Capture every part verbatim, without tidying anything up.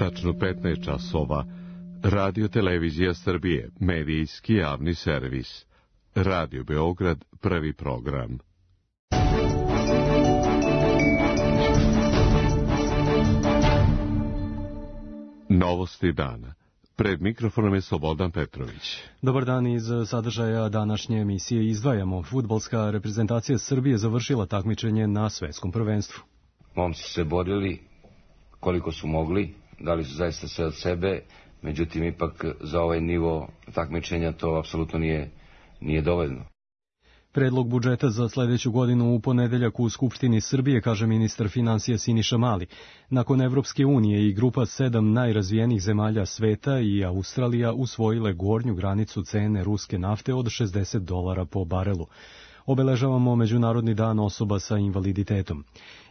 Tačno petnaest časova. Radio Televizija Srbije, medijski javni servis. Radio Beograd, prvi program. Novosti dana. Pred mikrofonom je Slobodan Petrović. Dobar dan, iz sadržaja današnje emisije izdvajamo. Fudbalska reprezentacija Srbije završila takmičenje na svetskom prvenstvu. Momci su se borili koliko su mogli, dali su zaista sve od sebe, međutim ipak za ovaj nivo takmičenja to apsolutno nije, nije dovoljno. Predlog budžeta za sledeću godinu u ponedeljak u Skupštini Srbije, kaže ministar finansija Siniša Mali. Nakon Evropske unije i grupa sedam najrazvijenijih zemalja sveta i Australija usvojile gornju granicu cene ruske nafte od šezdeset dolara po barelu. Obeležavamo Međunarodni dan osoba sa invaliditetom.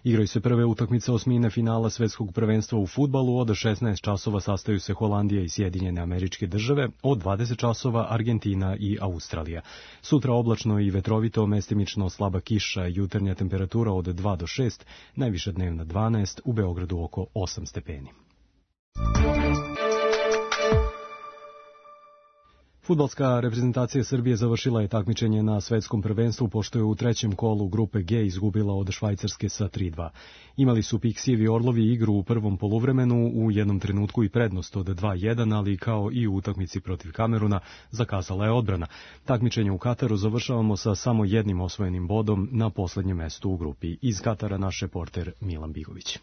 Igraju se prve utakmice osmine finala svetskog prvenstva u fudbalu. Od šesnaest časova sastaju se Holandija i Sjedinjene Američke Države, od dvadeset časova Argentina i Australija. Sutra oblačno i vetrovito, mestimično slaba kiša, jutarnja temperatura od dva do šest, najviša dnevna dvanaest, u Beogradu oko osam stepeni. Fudbalska reprezentacija Srbije završila je takmičenje na svetskom prvenstvu, pošto je u trećem kolu grupe G izgubila od Švajcarske sa tri dva. Imali su Piksijevi Orlovi igru u prvom poluvremenu, u jednom trenutku i prednost od dva jedan, ali kao i u utakmici protiv Kameruna zakazala je odbrana. Takmičenje u Kataru završavamo sa samo jednim osvojenim bodom na poslednjem mestu u grupi. Iz Katara naš reporter Milan Bigović.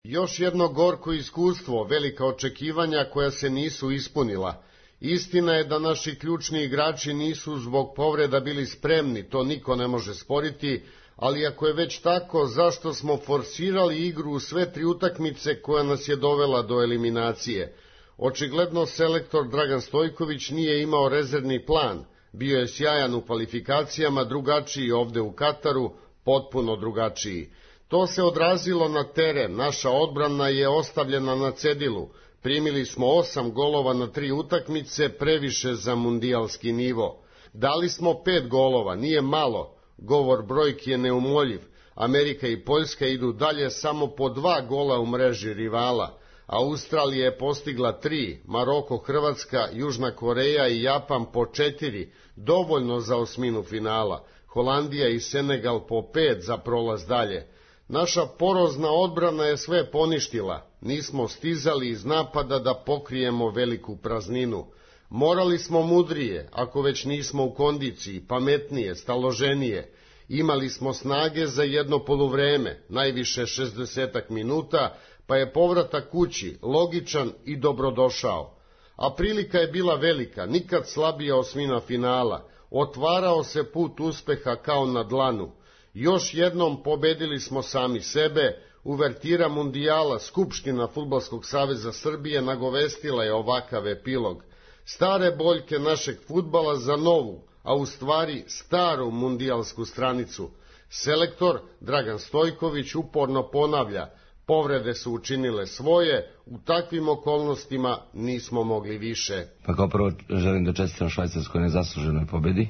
Još jedno gorko iskustvo, velika očekivanja koja se nisu ispunila. Istina je da naši ključni igrači nisu zbog povreda bili spremni, to niko ne može sporiti, ali ako je već tako, zašto smo forsirali igru u sve tri utakmice koja nas je dovela do eliminacije? Očigledno selektor Dragan Stojković nije imao rezervni plan, bio je sjajan u kvalifikacijama, drugačiji ovde u Kataru, potpuno drugačiji. To se odrazilo na teren, naša odbrana je ostavljena na cedilu. Primili smo osam golova na tri utakmice, previše za mundijalski nivo. Dali smo pet golova, nije malo, govor brojki je neumoljiv. Amerika i Poljska idu dalje samo po dva gola u mreži rivala. Australija je postigla tri, Maroko, Hrvatska, Južna Koreja i Japan po četiri, dovoljno za osminu finala. Holandija i Senegal po pet za prolaz dalje. Naša porozna odbrana je sve poništila. Nismo stizali iz napada da pokrijemo veliku prazninu. Morali smo mudrije, ako već nismo u kondiciji, pametnije, staloženije. Imali smo snage za jedno poluvreme, najviše šezdesetak minuta, pa je povratak kući logičan i dobrodošao. A prilika je bila velika, nikad slabija osmina finala. Otvarao se put uspeha kao na dlanu. Još jednom pobedili smo sami sebe. Uvertira mundijala, Skupština Fudbalskog saveza Srbije nagovestila je ovakav epilog. Stare boljke našeg fudbala za novu, a u stvari staru mundijalsku stranicu. Selektor Dragan Stojković uporno ponavlja, povrede su učinile svoje, u takvim okolnostima nismo mogli više. Pa kao prvo želim da čestitam Švajcarskoj nezasluženoj pobedi.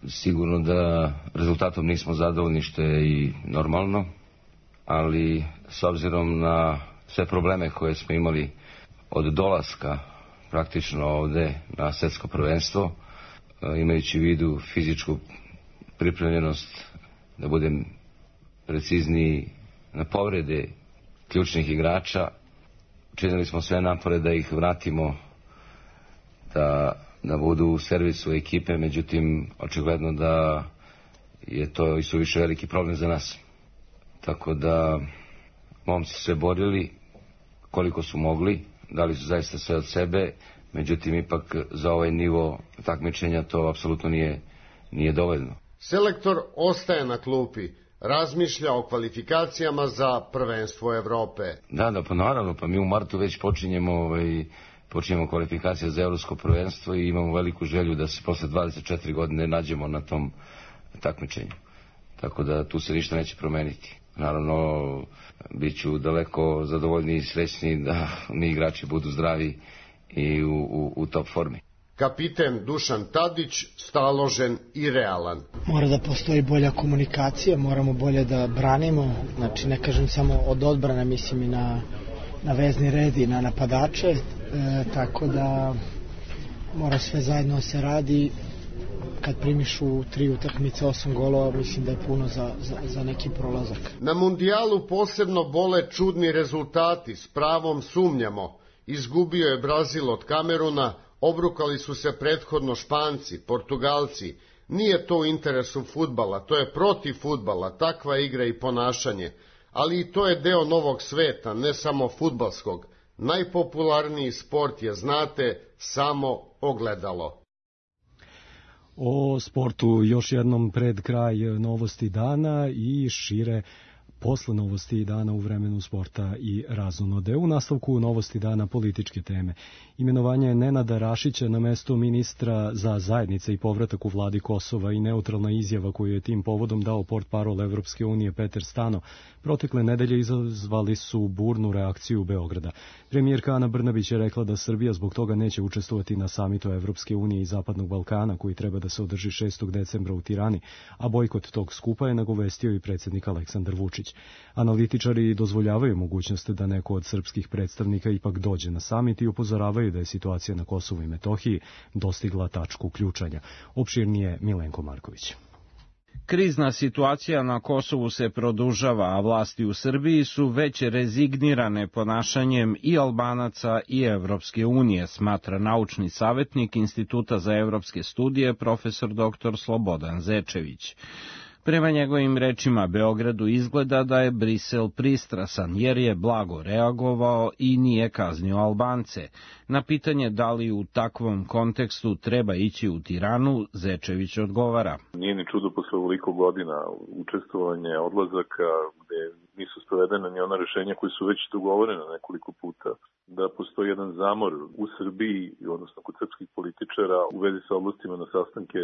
Sigurno da rezultatom nismo zadovoljni, što je i normalno, ali s obzirom na sve probleme koje smo imali od dolaska praktično ovde na svetsko prvenstvo, imajući u vidu fizičku pripremljenost, da budem precizniji, na povrede ključnih igrača, učinili smo sve napore da ih vratimo, da, da budu u servisu ekipe, međutim očigledno da je to i suviše veliki problem za nas. Tako da momci su se borili koliko su mogli, dali su zaista sve od sebe, međutim ipak za ovaj nivo takmičenja to apsolutno nije, nije dovoljno. Selektor ostaje na klupi, razmišlja o kvalifikacijama za prvenstvo Evrope. Da, da, pa naravno, pa mi u martu već počinjemo, ovaj, počinjemo kvalifikacije za evropsko prvenstvo i imamo veliku želju da se posle dvadeset četiri godine nađemo na tom takmičenju. Tako da tu se ništa neće promeniti. Naravno, bit ću daleko zadovoljniji i srećniji da mi igrači budu zdravi i u, u, u top formi. Kapiten Dušan Tadić, staložen i realan. Mora da postoji bolja komunikacija, moramo bolje da branimo, znači ne kažem samo od odbrane, mislim i na, na vezni red i na napadače, e, tako da mora sve zajedno se radi. Kad primiš u tri utakmice osam golova, mislim da je puno za, za, za neki prolazak. Na mundijalu posebno bole čudni rezultati, s pravom sumnjamo. Izgubio je Brazil od Kameruna, obrukali su se prethodno Španci, Portugalci. Nije to u interesu fudbala, to je protiv fudbala, takva igra i ponašanje. Ali i to je deo novog sveta, ne samo fudbalskog. Najpopularniji sport je, znate, samo ogledalo. O sportu još jednom pred kraj novosti dana i šire posle novosti dana u vremenu sporta i razonode. U nastavku novosti dana političke teme. Imenovanje Nenada Rašića na mesto ministra za zajednice i povratak u vladi Kosova i neutralna izjava koju je tim povodom dao portparol Evropske unije Peter Stano protekle nedelje izazvali su burnu reakciju Beograda. Premijerka Ana Brnabić je rekla da Srbija zbog toga neće učestvovati na samitu Evropske unije i Zapadnog Balkana koji treba da se održi šestog decembra u Tirani, a bojkot tog skupa je nagovestio i predsjednik Aleksandar Vučić. Analitičari dozvoljavaju mogućnost da neko od srpskih predstavnika ipak dođe na samit i upozoravaju da je situacija na Kosovu i Metohiji dostigla tačku ključanja. Opširnije Milenko Marković. Krizna situacija na Kosovu se produžava, a vlasti u Srbiji su već rezignirane ponašanjem i Albanaca i Evropske unije, smatra naučni savjetnik Instituta za evropske studije profesor doktor Slobodan Zečević. Prema njegovim rečima, Beogradu izgleda da je Brisel pristrasan, jer je blago reagovao i nije kaznio Albance. Na pitanje da li u takvom kontekstu treba ići u Tiranu, Zečević odgovara. Nije ni čudo posle ovoliko godina učestvovanja, odlazaka, gde nisu sprovedene ni ona rešenja koji su već dogovorene nekoliko puta, da postoji jedan zamor u Srbiji, odnosno kod srpskih političara, u vezi sa odlascima na sastanke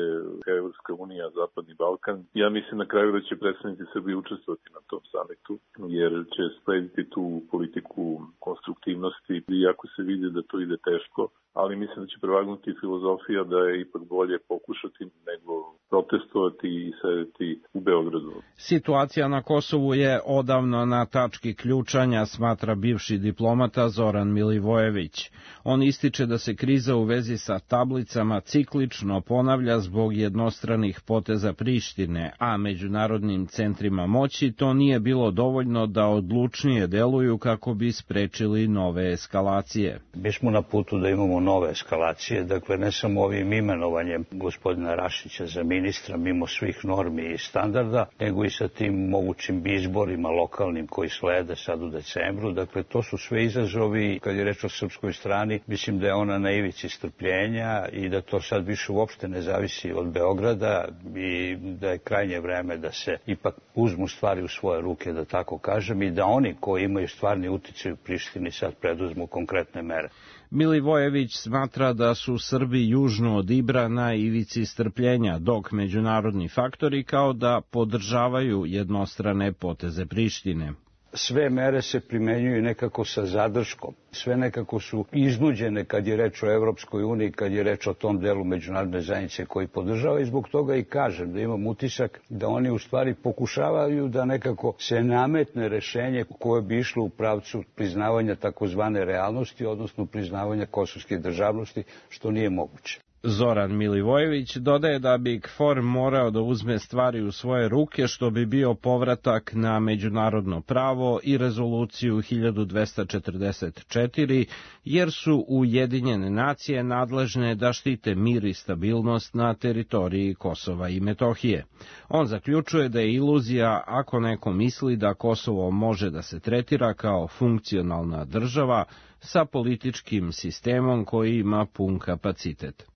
Evropska unija, Zapadni Balkan. Ja mislim na kraju da će predstavnici Srbije učestvovati na tom samitu, jer će slediti tu politiku konstruktivnosti, iako se vidi da to ide teško, ali mislim da će prevagnuti filozofija da je ipak bolje pokušati nego protestovati i sedeti u Beogradu. Situacija na Kosovu je odavno na tački ključanja, smatra bivši diplomata Zoran Milivojević. On ističe da se kriza u vezi sa tablicama ciklično ponavlja zbog jednostranih poteza Prištine, a međunarodnim centrima moći to nije bilo dovoljno da odlučnije deluju kako bi sprečili nove eskalacije. Mi smo na putu da imamo nove eskalacije, dakle ne samo ovim imenovanjem gospodina Rašića za ministra mimo svih normi i standarda, nego i sa tim mogućim izborima lokalnim koji slede sad u decembru. Dakle, to su sve izazovi. Kad je reč o srpskoj strani, mislim da je ona na ivici strpljenja i da to sad više uopšte ne zavisi od Beograda i da je krajnje vreme da se ipak uzmu stvari u svoje ruke, da tako kažem, i da oni koji imaju stvarni uticaj u Prištini sad preduzmu konkretne mere. Milivojević smatra da su Srbi južno od Ibra na ivici strpljenja, dok međunarodni faktori kao da podržavaju jednostrane poteze Prištine. Sve mere se primenjuju nekako sa zadrškom. Sve nekako su iznuđene kad je reč o Evropskoj uniji, kad je reč o tom delu međunarodne zajednice koji podržava i zbog toga i kažem da imam utisak da oni u stvari pokušavaju da nekako se nametne rešenje koje bi išlo u pravcu priznavanja takozvane realnosti, odnosno priznavanja kosovske državnosti, što nije moguće. Zoran Milivojević dodaje da bi KFOR morao da uzme stvari u svoje ruke, što bi bio povratak na međunarodno pravo i rezoluciju hiljadu dvesta četrdeset četiri, jer su Ujedinjene nacije nadležne da štite mir i stabilnost na teritoriji Kosova i Metohije. On zaključuje da je iluzija ako neko misli da Kosovo može da se tretira kao funkcionalna država sa političkim sistemom koji ima pun kapacitet.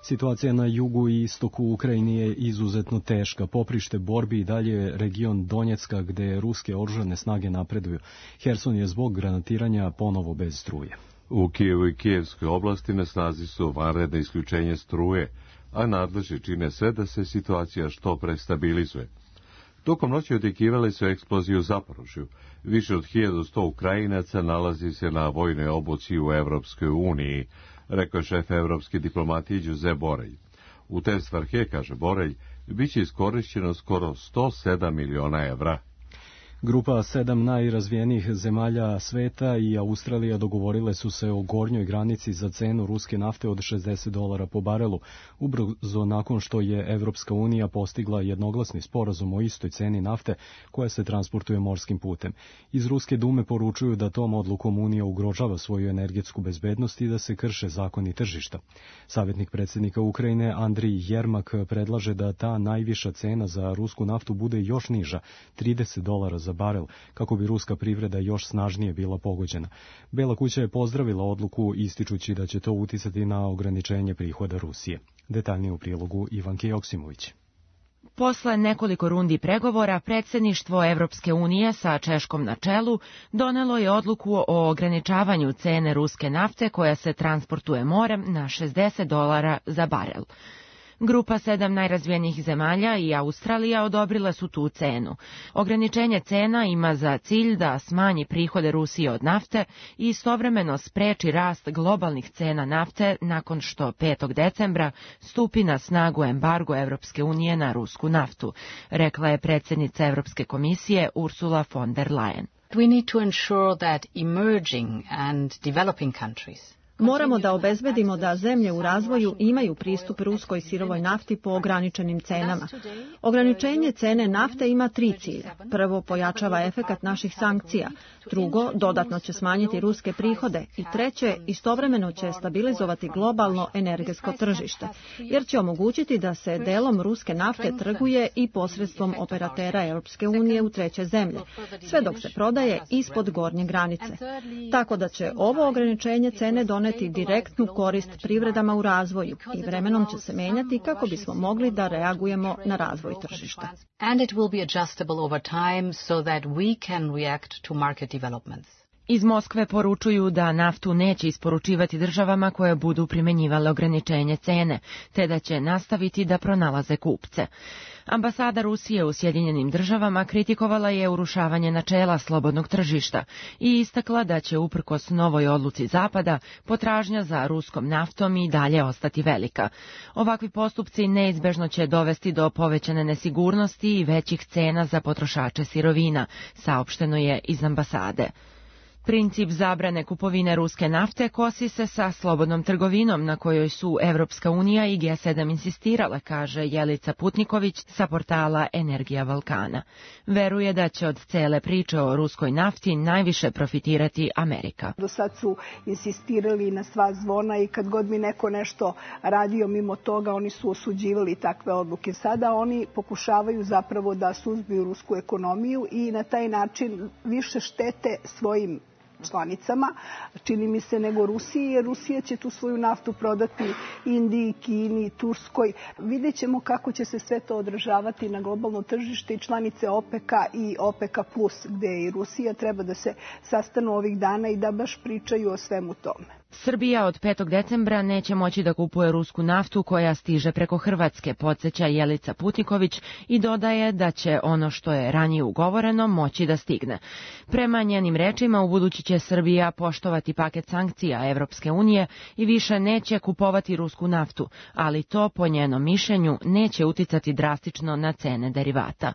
Situacija na jugu i istoku Ukrajine je izuzetno teška. Poprište borbi i dalje je region Donjecka gde ruske oružane snage napreduju. Herson je zbog granatiranja ponovo bez struje. U Kijevu i Kijevskoj oblasti na snazi su vanredne isključenje struje, a nadležni čine sve da se situacija što pre stabilizuje. Tokom noći očekivali su eksploziju u Zaporožju. Više od hiljadu sto Ukrajinaca nalazi se na vojnoj obuci u Evropskoj uniji, rekao je šef evropske diplomatije Đuze Borelj. U te svrhe, kaže Borelj, bit će iskorišćeno skoro sto sedam miliona evra. Grupa sedam najrazvijenijih zemalja sveta i Australija dogovorile su se o gornjoj granici za cenu ruske nafte od šezdeset dolara po barelu, ubrzo nakon što je Evropska unija postigla jednoglasni sporazum o istoj ceni nafte koja se transportuje morskim putem. Iz Ruske dume poručuju da tom odlukom Unija ugrožava svoju energetsku bezbednost i da se krše zakoni tržišta. Savjetnik predsjednika Ukrajine Andrij Jermak predlaže da ta najviša cena za rusku naftu bude još niža, trideset dolara za barel, kako bi ruska privreda još snažnije bila pogođena. Bela kuća je pozdravila odluku ističući da će to uticati na ograničenje prihoda Rusije. Detaljnije u prilogu Ivanke Joksimović. Posle nekoliko rundi pregovora, predsjedništvo Evropske unije sa Češkom na čelu donelo je odluku o ograničavanju cene ruske nafte koja se transportuje morem na šezdeset dolara za barel. Grupa sedam najrazvijenijih zemalja i Australija odobrile su tu cenu. Ograničenje cena ima za cilj da smanji prihode Rusije od nafte i istovremeno spreči rast globalnih cena nafte nakon što petog decembra stupi na snagu embargo Evropske unije na rusku naftu, rekla je predsjednica Evropske komisije Ursula von der Leyen. We need to ensure that emerging and developing countries Moramo da obezbedimo da zemlje u razvoju imaju pristup ruskoj sirovoj nafti po ograničenim cenama. Ograničenje cene nafte ima tri cilja. Prvo, pojačava efekat naših sankcija. Drugo, dodatno će smanjiti ruske prihode. I treće, istovremeno će stabilizovati globalno energetsko tržište, jer će omogućiti da se delom ruske nafte trguje i posredstvom operatera Europske unije u treće zemlje, sve dok se prodaje ispod gornje granice. Tako da će ovo ograničenje cene doneti direktnu korist privredama u razvoju i vremenom će se menjati kako bismo mogli da reagujemo na razvoj tržišta. And it will be adjustable over time so that we can react to market developments. Iz Moskve poručuju da naftu neće isporučivati državama koje budu primenjivale ograničenje cene, te da će nastaviti da pronalaze kupce. Ambasada Rusije u Sjedinjenim državama kritikovala je urušavanje načela slobodnog tržišta i istakla da će uprkos novoj odluci Zapada potražnja za ruskom naftom i dalje ostati velika. Ovakvi postupci neizbežno će dovesti do povećane nesigurnosti i većih cena za potrošače sirovina, saopšteno je iz ambasade. Princip zabrane kupovine ruske nafte kosi se sa slobodnom trgovinom na kojoj su Evropska unija i G sedam insistirale, kaže Jelica Putniković sa portala Energija Balkana. Veruje da će od cele priče o ruskoj nafti najviše profitirati Amerika. Do sad su insistirali na sva zvona i kad god mi neko nešto radio mimo toga, oni su osuđivali takve odluke. Sada oni pokušavaju zapravo da suzbiju rusku ekonomiju i na taj način više štete svojim članicama, čini mi se, nego Rusiji, jer Rusija će tu svoju naftu prodati Indiji, Kini, Turskoj. Vidjet ćemo kako će se sve to odražavati na globalno tržište i članice OPEC-a i OPEC-a plus, gde i Rusija treba da se sastanu ovih dana i da baš pričaju o svemu tome. Srbija od petog decembra neće moći da kupuje rusku naftu koja stiže preko Hrvatske, podsjeća Jelica Putniković i dodaje da će ono što je ranije ugovoreno moći da stigne. Prema njenim rečima, ubudući će Srbija poštovati paket sankcija Evropske unije i više neće kupovati rusku naftu, ali to, po njenom mišljenju, neće uticati drastično na cene derivata.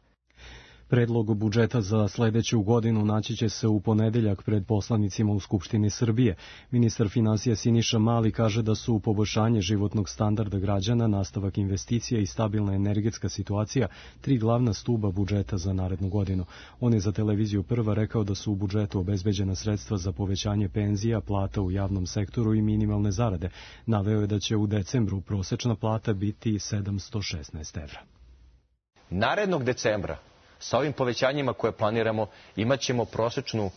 Predlog budžeta za sledeću godinu naći će se u ponedeljak pred poslanicima u Skupštini Srbije. Ministar finansija Siniša Mali kaže da su poboljšanje životnog standarda građana, nastavak investicija i stabilna energetska situacija tri glavna stuba budžeta za narednu godinu. On je za televiziju Prva rekao da su u budžetu obezbeđena sredstva za povećanje penzija, plata u javnom sektoru i minimalne zarade. Naveo je da će u decembru prosečna plata biti sedamsto šesnaest evra. Narednog decembra sa ovim povećanjima koje planiramo imat ćemo prosečnu uh,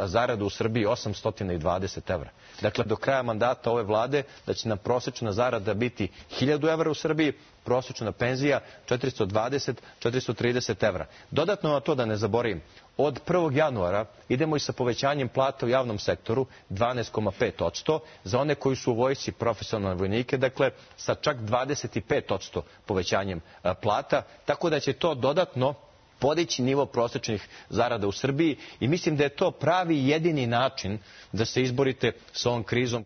zaradu u Srbiji osamsto dvadeset evra. Dakle, do kraja mandata ove vlade da će nam prosečna zarada biti hiljadu evra u Srbiji, prosečna penzija četiristo dvadeset do četiristo trideset evra. Dodatno na to da ne zaboravim, od prvog januara idemo i sa povećanjem plata u javnom sektoru dvanaest zarez pet posto za one koji su u vojsci profesionalne vojnike, dakle sa čak dvadeset pet posto povećanjem uh, plata, tako da će to dodatno podići nivo prosečnih zarada u Srbiji i mislim da je to pravi i jedini način da se izborite s ovom krizom.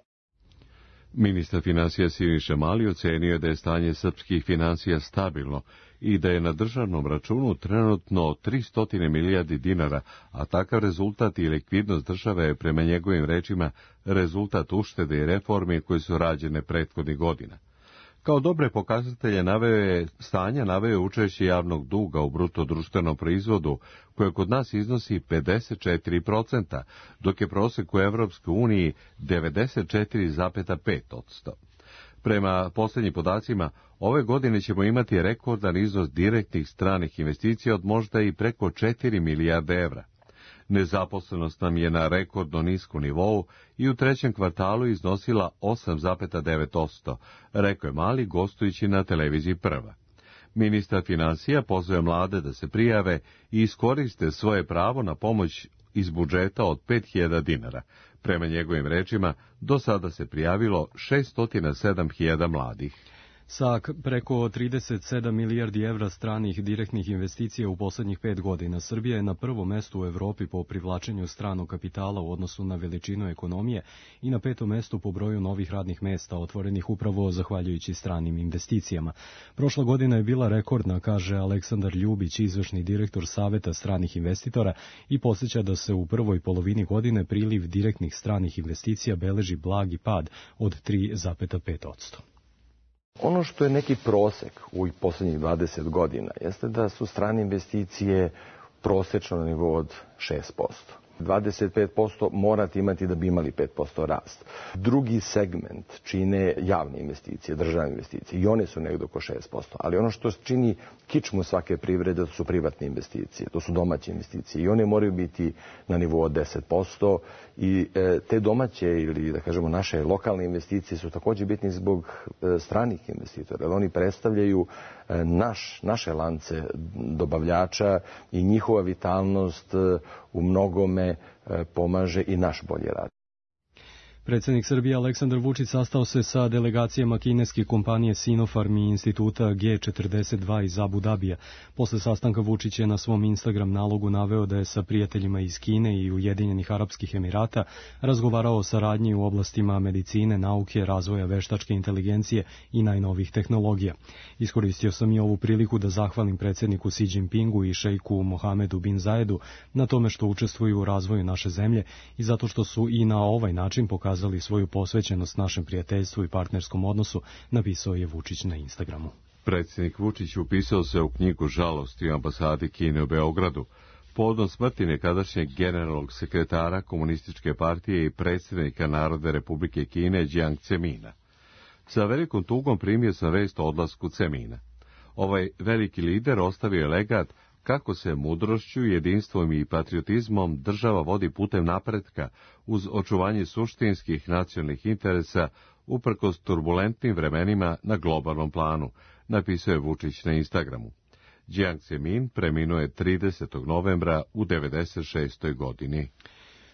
Ministar finansija Siniša Mali ocenio da je stanje srpskih finansija stabilno i da je na državnom računu trenutno tristo milijardi dinara, a takav rezultat i likvidnost države je prema njegovim rečima rezultat uštede i reformi koje su rađene prethodnih godina. Kao dobre pokazatelje naveo je stanja naveo je učešće javnog duga u bruto društvenom proizvodu, koje kod nas iznosi pedeset četiri posto, dok je prosek u Evropskoj uniji devedeset četiri zarez pet posto. Prema posljednjim podacima, ove godine ćemo imati rekordan iznos direktnih stranih investicija od možda i preko četiri milijarde evra. Nezaposlenost nam je na rekordno nisku nivou i u trećem kvartalu iznosila osam zarez devet posto, rekao je Mali gostujući na televiziji Prva. Ministar financija pozvao mlade da se prijave i iskoriste svoje pravo na pomoć iz budžeta od pet hiljada dinara. Prema njegovim rečima, do sada se prijavilo šeststo sedam hiljada mladih. Sa preko trideset sedam milijardi evra stranih direktnih investicija u poslednjih pet godina, Srbija je na prvom mestu u Evropi po privlačenju stranog kapitala u odnosu na veličinu ekonomije i na petom mestu po broju novih radnih mesta otvorenih upravo zahvaljujući stranim investicijama. Prošla godina je bila rekordna, kaže Aleksandar Ljubić, izvršni direktor Saveta stranih investitora, i podsjeća da se u prvoj polovini godine priliv direktnih stranih investicija beleži blagi pad od tri zarez pet posto. Ono što je neki prosek u poslednjih dvadeset godina jeste da su strane investicije prosečno na nivou od šest posto. dvadeset pet posto morate imati da bi imali pet posto rast. Drugi segment čine javne investicije, državne investicije, i one su negdje oko šest posto. Ali ono što čini kičmu svake privrede, to su privatne investicije, to su domaće investicije i one moraju biti na nivou od deset posto i e, te domaće ili da kažemo naše lokalne investicije su također bitni zbog e, stranih investitora, jer oni predstavljaju e, naš, naše lance dobavljača i njihova vitalnost e, u mnogome pomaže i naš bolji rad. Predsjednik Srbije Aleksandar Vučić sastao se sa delegacijama kineske kompanije Sinopharm i instituta G četrdeset dva iz Abu Dabija. Posle sastanka Vučić je na svom Instagram nalogu naveo da je sa prijateljima iz Kine i Ujedinjenih Arapskih Emirata razgovarao o saradnji u oblastima medicine, nauke, razvoja veštačke inteligencije i najnovih tehnologija. Iskoristio sam i ovu priliku da zahvalim predsjedniku Xi Jinpingu i šejku Mohamedu bin Zaedu na tome što učestvuju u razvoju naše zemlje i zato što su i na ovaj način pokazali svoju posvećenost našem prijateljstvu i partnerskom odnosu, napisao je Vučić na Instagramu. Predsjednik Vučić upisao se u knjigu žalosti u ambasadi Kine u Beogradu povodom smrti nekadašnjeg generalnog sekretara Komunističke partije i predsjednika Narodne Republike Kine Jiang Zemina. Sa velikom tugom primio sam vest o odlasku Zemina. Ovaj veliki lider ostavio je legat kako se mudrošću, jedinstvom i patriotizmom država vodi putem napretka uz očuvanje suštinskih nacionalnih interesa uprkos turbulentnim vremenima na globalnom planu, napisao je Vučić na Instagramu. Jiang Zemin preminuo je tridesetog novembra u devedeset šestoj godini.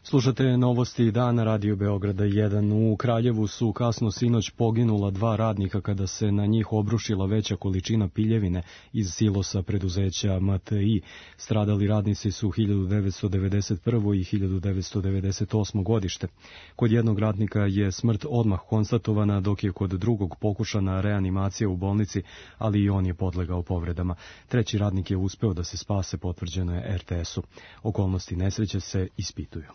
Slušate novosti dana Radio Beograda jedan. U Kraljevu su kasno sinoć poginula dva radnika kada se na njih obrušila veća količina piljevine iz silosa preduzeća M T I. Stradali radnici su hiljadu devetsto devedeset prvo. i hiljadu devetsto devedeset osmo godište. Kod jednog radnika je smrt odmah konstatovana, dok je kod drugog pokušana reanimacija u bolnici, ali i on je podlegao povredama. Treći radnik je uspeo da se spase, potvrđeno je R T S-u. Okolnosti nesreće se ispituju.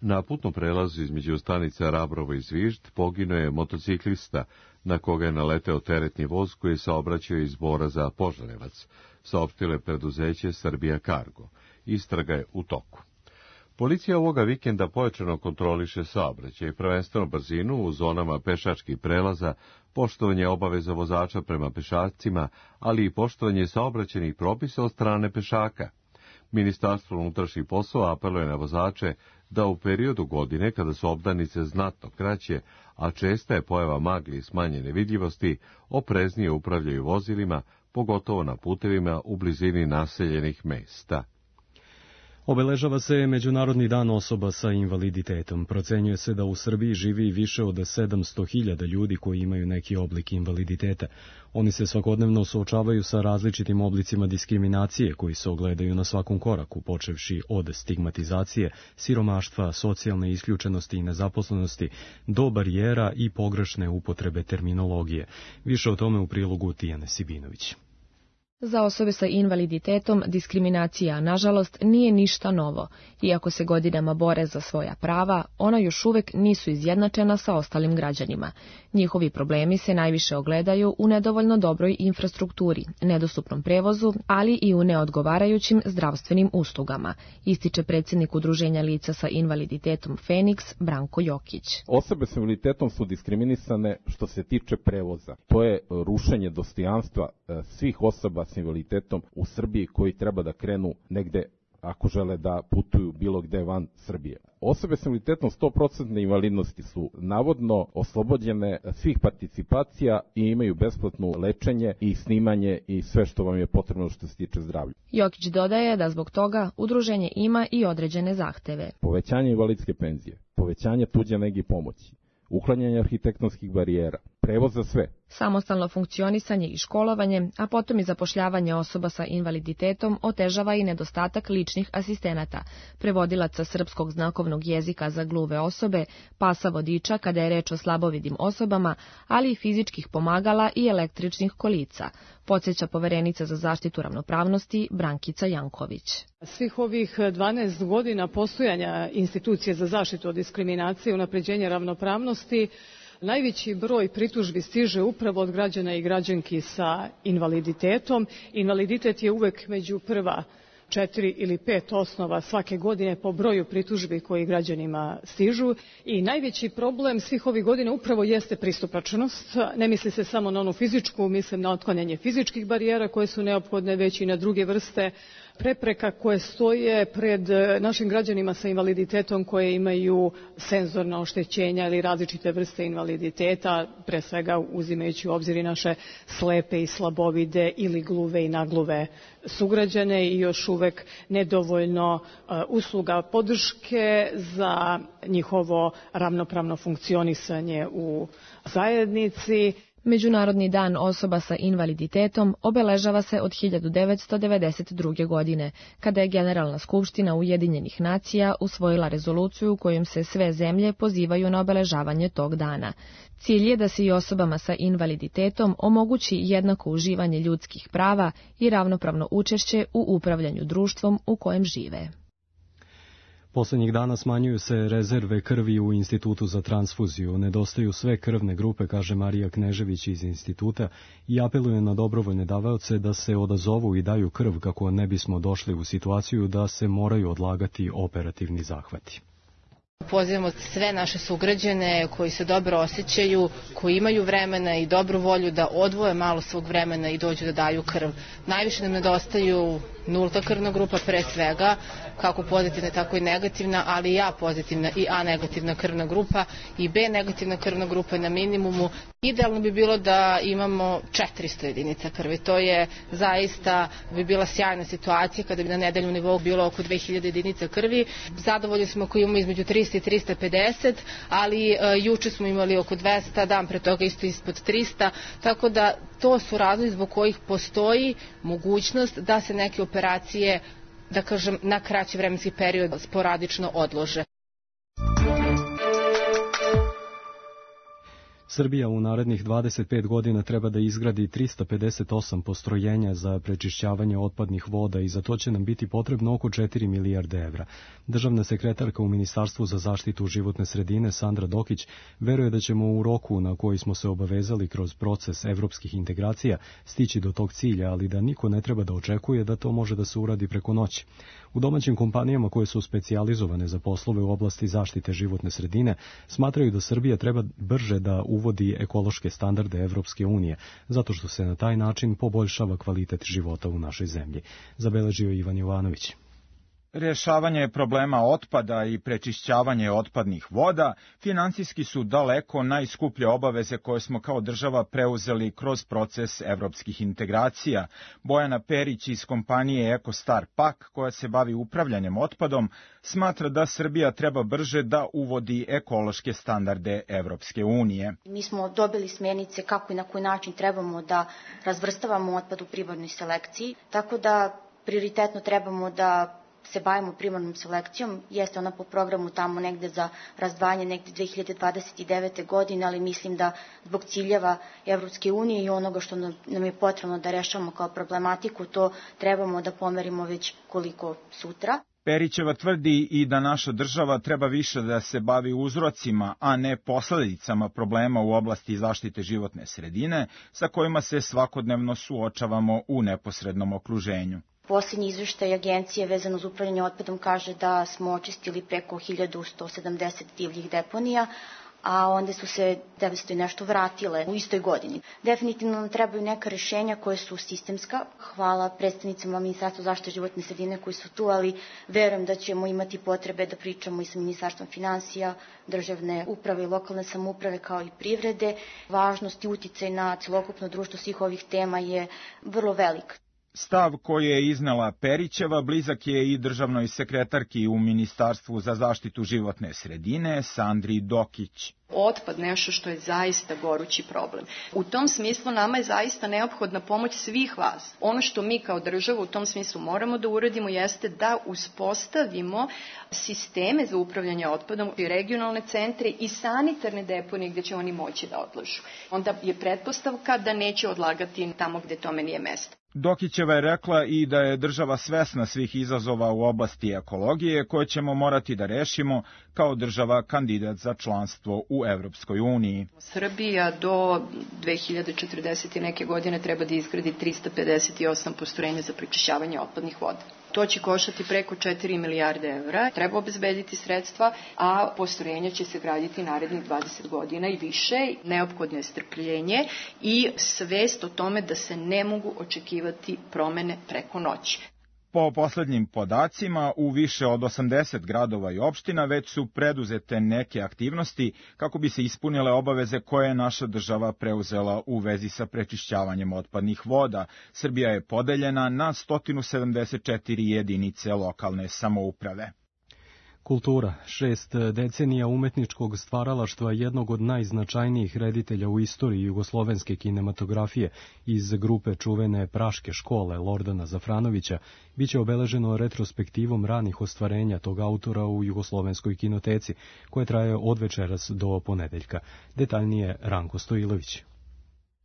Na putnom prelazu između stanica Rabrovo i Zvižd poginuo je motociklista na koga je naleteo teretni voz koji je saobraćao iz Bora za Požarevac, saopštilo je preduzeće Srbija Cargo. Istraga je u toku. Policija ovoga vikenda pojačano kontroliše saobraćaj, prvenstveno brzinu u zonama pešačkih prelaza, poštovanje obaveza vozača prema pešacima, ali i poštovanje saobraćajnih propisa od strane pešaka. Ministarstvo unutrašnjih poslova apeluje na vozače da u periodu godine, kada su obdanice znatno kraće, a česta je pojava magli i smanjene vidljivosti, opreznije upravljaju vozilima, pogotovo na putevima u blizini naseljenih mesta. Obeležava se Međunarodni dan osoba sa invaliditetom. Procenjuje se da u Srbiji živi više od sedamsto hiljada ljudi koji imaju neki oblik invaliditeta. Oni se svakodnevno suočavaju sa različitim oblicima diskriminacije koji se ogledaju na svakom koraku, počevši od stigmatizacije, siromaštva, socijalne isključenosti i nezaposlenosti, do barijera i pogrešne upotrebe terminologije. Više o tome u prilogu Tijane Sibinović. Za osobe sa invaliditetom diskriminacija, nažalost, nije ništa novo. Iako se godinama bore za svoja prava, ona još uvek nisu izjednačena sa ostalim građanima. Njihovi problemi se najviše ogledaju u nedovoljno dobroj infrastrukturi, nedostupnom prevozu, ali i u neodgovarajućim zdravstvenim uslugama, ističe predsjednik Udruženja lica sa invaliditetom Feniks, Branko Jokić. Osobe s invaliditetom su diskriminisane što se tiče prevoza. To je rušenje dostojanstva svih osoba s invaliditetom u Srbiji koji treba da krenu negde ako žele da putuju bilo gde van Srbije. Osobe s invaliditetom sto posto invalidnosti su navodno oslobođene svih participacija i imaju besplatno lečenje i snimanje i sve što vam je potrebno što se tiče zdravlja. Jokić dodaje da zbog toga udruženje ima i određene zahteve. Povećanje invalidske penzije, povećanje tuđe nege i pomoći, uklanjanje arhitektonskih barijera, prevoz za sve. Samostalno funkcionisanje i školovanje, a potom i zapošljavanje osoba sa invaliditetom otežava i nedostatak ličnih asistenata, prevodilaca srpskog znakovnog jezika za gluve osobe, pasa vodiča kada je reč o slabovidim osobama, ali i fizičkih pomagala i električnih kolica, podsjeća poverenica za zaštitu ravnopravnosti Brankica Janković. Svih ovih dvanaest godina postojanja institucije za zaštitu od diskriminacije i unapređenja ravnopravnosti najveći broj pritužbi stiže upravo od građana i građanki sa invaliditetom. Invaliditet je uvek među prva četiri ili pet osnova svake godine po broju pritužbi koji građanima stižu i najveći problem svih ovih godina upravo jeste pristupačnost. Ne misli se samo na onu fizičku, mislim na otklanjanje fizičkih barijera koje su neophodne, već i na druge vrste prepreka koje stoje pred našim građanima sa invaliditetom koje imaju senzorna oštećenja ili različite vrste invaliditeta, pre svega uzimajući u obzir i naše slepe i slabovide ili gluve i nagluve sugrađane i još uvek nedovoljno usluga podrške za njihovo ravnopravno funkcionisanje u zajednici. Međunarodni dan osoba sa invaliditetom obeležava se od hiljadu devetsto devedeset druge. godine, kada je Generalna skupština Ujedinjenih nacija usvojila rezoluciju kojom se sve zemlje pozivaju na obeležavanje tog dana. Cilj je da se i osobama sa invaliditetom omogući jednako uživanje ljudskih prava i ravnopravno učešće u upravljanju društvom u kojem žive. Poslednjih dana smanjuju se rezerve krvi u Institutu za transfuziju. Nedostaju sve krvne grupe, kaže Marija Knežević iz instituta i apeluje na dobrovoljne davaoce da se odazovu i daju krv kako ne bismo došli u situaciju da se moraju odlagati operativni zahvati. Pozivamo sve naše sugrađane koji se dobro osjećaju, koji imaju vremena i dobru volju da odvoje malo svog vremena i dođu da daju krv. Najviše nam nedostaju nulta krvna grupa pre svega, kako pozitivna tako i negativna, ali i A pozitivna i A negativna krvna grupa i B negativna krvna grupa na minimumu. Idealno bi bilo da imamo četiristo jedinica krvi. To je zaista bi bila sjajna situacija kada bi na nedeljnom nivou bilo oko dve hiljade jedinica krvi. Zadovoljni smo ako imamo između trista i trista pedeset, ali e, juče smo imali oko dvesta, dan pre toga isto ispod trista, tako da to su razlozi zbog kojih postoji mogućnost da se neke operacije, da kažem, na kraći vremenski period sporadično odlože. Srbija u narednih dvadeset pet godina treba da izgradi trista pedeset osam postrojenja za prečišćavanje otpadnih voda i za to će nam biti potrebno oko četiri milijarde evra. Državna sekretarka u Ministarstvu za zaštitu životne sredine Sandra Dokić veruje da ćemo u roku na koji smo se obavezali kroz proces evropskih integracija stići do tog cilja, ali da niko ne treba da očekuje da to može da se uradi preko noći. U domaćim kompanijama koje su specijalizovane za poslove u oblasti zaštite životne sredine smatraju da Srbija treba brže da uvodi ekološke standarde Evropske unije, zato što se na taj način poboljšava kvalitet života u našoj zemlji. Zabeležio Ivan Jovanović. Rješavanje problema otpada i prečišćavanje otpadnih voda finansijski su daleko najskuplje obaveze koje smo kao država preuzeli kroz proces evropskih integracija. Bojana Perić iz kompanije EcoStar Pak, koja se bavi upravljanjem otpadom, smatra da Srbija treba brže da uvodi ekološke standarde Evropske unije. Mi smo dobili smjernice kako i na koji način trebamo da razvrstavamo otpad u prirodnoj selekciji, tako da prioritetno trebamo da se bavimo primarnom selekcijom, jeste ona po programu tamo negde za razdvajanje negde dve hiljade dvadeset devete. godine, ali mislim da zbog ciljeva Evropske unije i onoga što nam je potrebno da rešavamo kao problematiku, to trebamo da pomerimo već koliko sutra. Perićeva tvrdi i da naša država treba više da se bavi uzrocima, a ne posledicama problema u oblasti zaštite životne sredine, sa kojima se svakodnevno suočavamo u neposrednom okruženju. Posljednji izveštaj agencije vezano uz upravljanje otpadom kaže da smo očistili preko hiljadu sto sedamdeset divljih deponija, a onda su se devetsto i nešto vratile u istoj godini. Definitivno nam trebaju neka rešenja koje su sistemska. Hvala predstavnicama Ministarstva zaštite životne sredine koji su tu, ali verujem da ćemo imati potrebe da pričamo i sa Ministarstvom finansija, državne uprave i lokalne samouprave kao i privrede. Važnost i uticaj na celokupno društvo svih ovih tema je vrlo velik. Stav koji je iznela Perićeva blizak je i državnoj sekretarki u Ministarstvu za zaštitu životne sredine Sandri Dokić. Otpad nešto što je zaista gorući problem. U tom smislu nama je zaista neophodna pomoć svih vas. Ono što mi kao država u tom smislu moramo da uradimo jeste da uspostavimo sisteme za upravljanje otpadom i regionalne centre i sanitarne deponije gde će oni moći da odlažu. Onda je pretpostavka da neće odlagati tamo gde tome nije mesto. Dokićeva je rekla i da je država svesna svih izazova u oblasti ekologije koje ćemo morati da rešimo kao država kandidat za članstvo u Evropskoj uniji. Srbija do dve hiljade četrdesete neke godine treba da izgradi trista pedeset osam postrojenja za prečišćavanje otpadnih voda. To će koštati preko četiri milijarde evra, treba obezbediti sredstva, a postrojenja će se graditi narednih dvadeset godina i više. Neophodno je strpljenje i svest o tome da se ne mogu očekivati promene preko noći. Po poslednjim podacima, u više od osamdeset gradova i opština već su preduzete neke aktivnosti kako bi se ispunile obaveze koje je naša država preuzela u vezi sa prečišćavanjem otpadnih voda. Srbija je podeljena na sto sedamdeset četiri jedinice lokalne samouprave. Kultura, šest decenija umetničkog stvaralaštva jednog od najznačajnijih reditelja u istoriji jugoslovenske kinematografije iz grupe čuvene Praške škole Lordana Zafranovića biće obeleženo retrospektivom ranih ostvarenja tog autora u jugoslovenskoj kinoteci, koje traje od večeras do ponedeljka. Detaljnije Ranko Stojilović.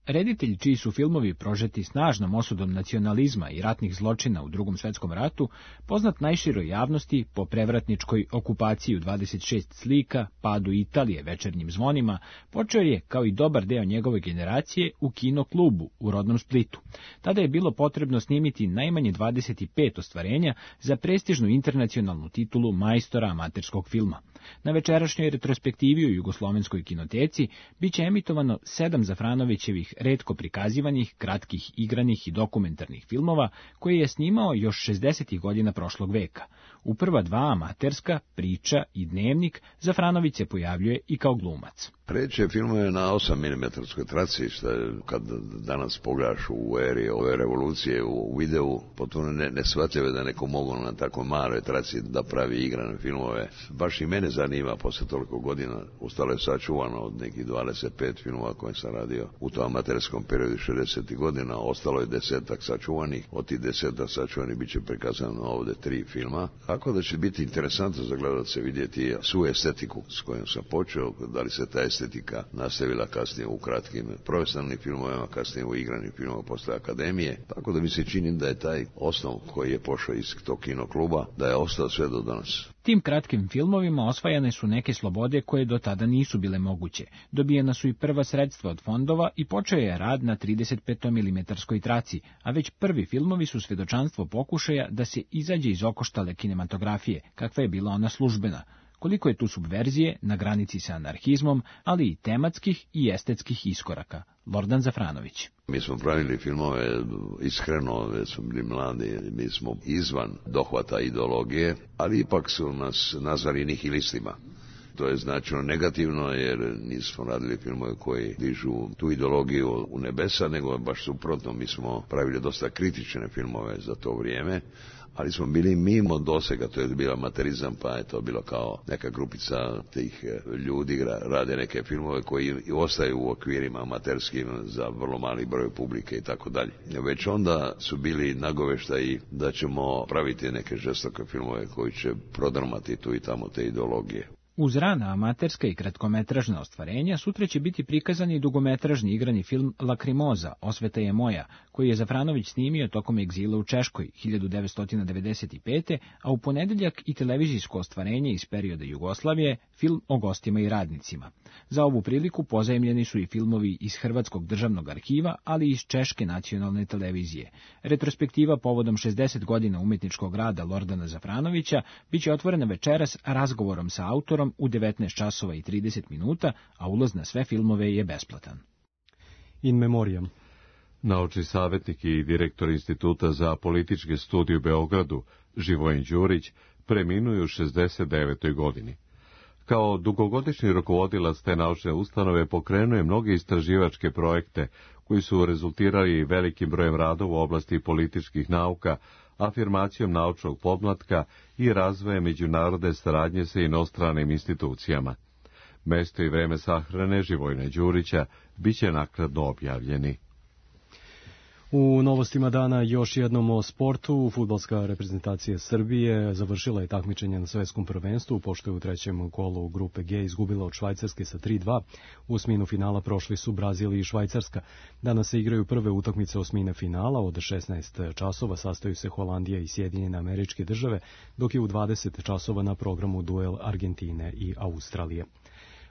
Reditelj čiji su filmovi prožeti snažnom osudom nacionalizma i ratnih zločina u Drugom svetskom ratu, poznat najširoj javnosti po prevratničkoj okupaciji u dvadeset šest slika, padu Italije, večernjim zvonima, počeo je, kao i dobar deo njegove generacije, u kino klubu u rodnom Splitu. Tada je bilo potrebno snimiti najmanje dvadeset pet ostvarenja za prestižnu internacionalnu titulu majstora amaterskog filma. Na večerašnjoj retrospektivi u jugoslovenskoj kinoteci biće emitovano sedam Zafranovićevih retko prikazivanih, kratkih, igranih i dokumentarnih filmova koje je snimao još šezdesetih godina prošlog veka. U prva dva amaterska, Priča i Dnevnik, Zafranović se pojavljuje i kao glumac. Preće filmove na osam milimetarskoj traci, što je, kad danas pogledaš u eri ove revolucije u videu, potpuno ne, nesvatljivo da neko mogu na tako maloj traci da pravi igrane filmove. Baš i mene zanima, posle toliko godina, ostalo je sačuvano od nekih dvadeset pet filmova koje sam radio u tom amaterskom periodu šezdesetih godina, ostalo je desetak sačuvanih, od tih desetak sačuvanih bit će prikazano ovde tri filma, tako da će biti interesantno za gledalce vidjeti svu estetiku s kojom sam počeo, da li se ta estetika nastavila kasnije u kratkim profesionalnim filmovima, kasnije u igranim filmovima posle akademije, tako da mi se čini da je taj osnov koji je pošao iz tog kinokluba, da je ostao sve do danas. Tim kratkim filmovima osvajane su neke slobode koje do tada nisu bile moguće. Dobijena su i prva sredstva od fondova i počeo je rad na trideset pet milimetarskoj traci, a već prvi filmovi su svedočanstvo pokušaja da se izađe iz okoštale kinematografije, kakva je bila ona službena. Koliko je tu subverzije na granici sa anarhizmom, ali i tematskih i estetskih iskoraka. Lordan Zafranović. Mi smo pravili filmove iskreno, već smo bili mladi, mi smo izvan dohvata ideologije, ali ipak su nas nazvali nihilistima. To je značajno negativno, jer nismo radili filmove koji dižu tu ideologiju u nebesa, nego baš suprotno, mi smo pravili dosta kritične filmove za to vrijeme, ali smo bili mimo dosega, to je bio amaterizam, pa je to bilo kao neka grupica tih ljudi rade neke filmove koji ostaju u okvirima amaterskim za vrlo mali broj publike i tako dalje. Već onda su bili nagoveštaji da ćemo praviti neke žestoke filmove koji će prodrmati tu i tamo te ideologije. Uz rana amaterska i kratkometražna ostvarenja, sutra će biti prikazan i dugometražni igrani film Lakrimoza, Osveta je moja, koji je Zafranović snimio tokom egzila u Češkoj hiljadu devetsto devedeset pete. a u ponedeljak i televizijsko ostvarenje iz perioda Jugoslavije, film o gostima i radnicima. Za ovu priliku pozajemljeni su i filmovi iz Hrvatskog državnog arhiva, ali i iz Češke nacionalne televizije. Retrospektiva povodom šezdeset godina umetničkog rada Lordana Zafranovića biće otvorena večeras razgovorom sa autorom u devetnaest časova i trideset minuta, a ulaz na sve filmove je besplatan. In memoriam. Naučni savjetnik i direktor Instituta za političke studije u Beogradu, Živojin Đurić, preminuo u šezdeset devetoj godini. Kao dugogodišnji rukovodilac te naučne ustanove pokrenuo je mnoge istraživačke projekte koji su rezultirali velikim brojem radova u oblasti političkih nauka, afirmacijom naučnog podmlatka i razvojem međunarodne saradnje sa inostranim institucijama. Mesto i vreme sahrane Živojina Đurića biće naknadno objavljeni. U novostima dana još jednom o sportu. Fudbalska reprezentacija Srbije završila je takmičenje na svetskom prvenstvu, pošto je u trećem kolu grupe G izgubila od Švajcarske sa tri dva. U osminu finala prošli su Brazil i Švajcarska. Danas se igraju prve utakmice osmine finala, od šesnaest časova sastaju se Holandija i Sjedinjene Američke Države, dok je u dvadeset časova na programu duel Argentine i Australije.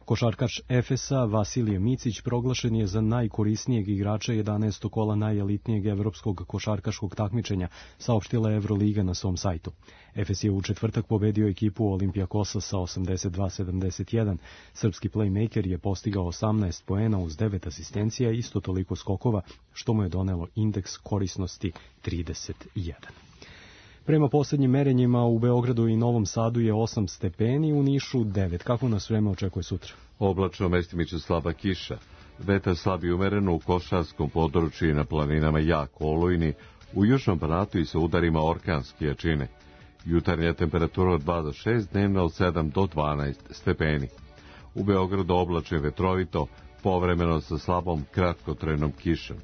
Košarkaš Efesa Vasilije Micić proglašen je za najkorisnijeg igrača jedanaestog kola najelitnijeg evropskog košarkaškog takmičenja, saopštila Evroliga na svom sajtu. Efes je u četvrtak pobedio ekipu Olimpijakosa sa osamdeset dva sedamdeset jedan. Srpski playmaker je postigao osamnaest poena uz devet asistencija i isto toliko skokova, što mu je donelo indeks korisnosti trideset jedan. Prema posljednjim merenjima u Beogradu i Novom Sadu je osam stepeni, u Nišu devet. Kako nas vreme očekuje sutra? Oblačno, mestimično slaba kiša. Vetar slab i umeren u košarskom području i na planinama jako olujni, u južnom Banatu i sa udarima orkanske jačine. Jutarnja temperatura od dva do šest, dnevna od sedam do dvanaest stepeni. U Beogradu oblačno vetrovito, povremeno sa slabom kratkotrajnom kišom.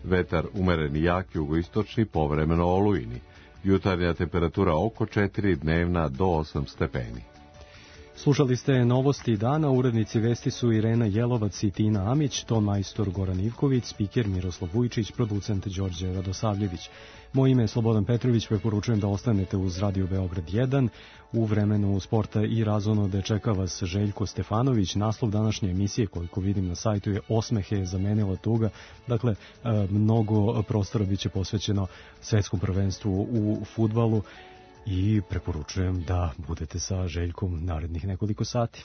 Vetar umeren i jak jugoistočni, povremeno olujni. Jutarnja temperatura oko četiri, dnevna do osam stepeni. Slušali ste novosti dana, urednici vesti su Irena Jelovac i Tina Amić, ton majstor Goran Ivković, spiker Miroslav Vujčić, producent Đorđe Radosavljević. Moje ime je Slobodan Petrović, preporučujem da ostanete uz Radio Beograd jedan. U vremenu sporta i razonode čeka vas Željko Stefanović. Naslov današnje emisije, koliko vidim na sajtu, je Osmehe je zamenila tuga. Dakle, mnogo prostora biće posvećeno svetskom prvenstvu u fudbalu i preporučujem da budete sa Željkom narednih nekoliko sati.